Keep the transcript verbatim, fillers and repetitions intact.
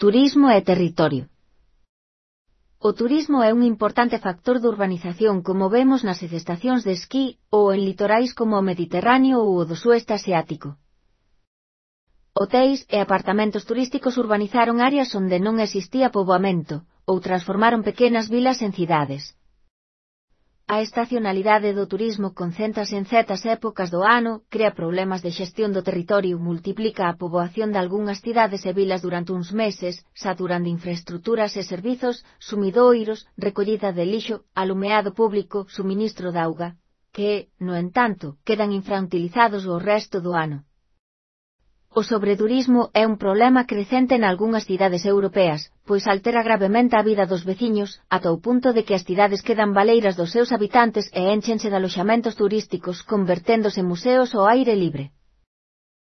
Turismo e territorio. O turismo é un importante factor de urbanización como vemos nas estacións de esquí ou en litorais como o Mediterráneo ou o do Sueste Asiático. Hotéis e apartamentos turísticos urbanizaron áreas onde non existía poboamento, ou transformaron pequenas vilas en cidades. A estacionalidade do turismo concéntrase en certas épocas do ano, crea problemas de xestión do territorio, multiplica a poboación de algunhas cidades e vilas durante uns meses, saturando infraestruturas e servizos, sumidoiros, recollida de lixo, alumeado público, suministro de auga, que, no entanto, quedan infrautilizados o resto do ano. O sobreturismo é un problema crecente nalgunhas cidades europeas, pois altera gravemente a vida dos veciños, ata o punto de que as cidades quedan baleiras dos seus habitantes e énchense de aloxamentos turísticos converténdose en museos ao aire libre.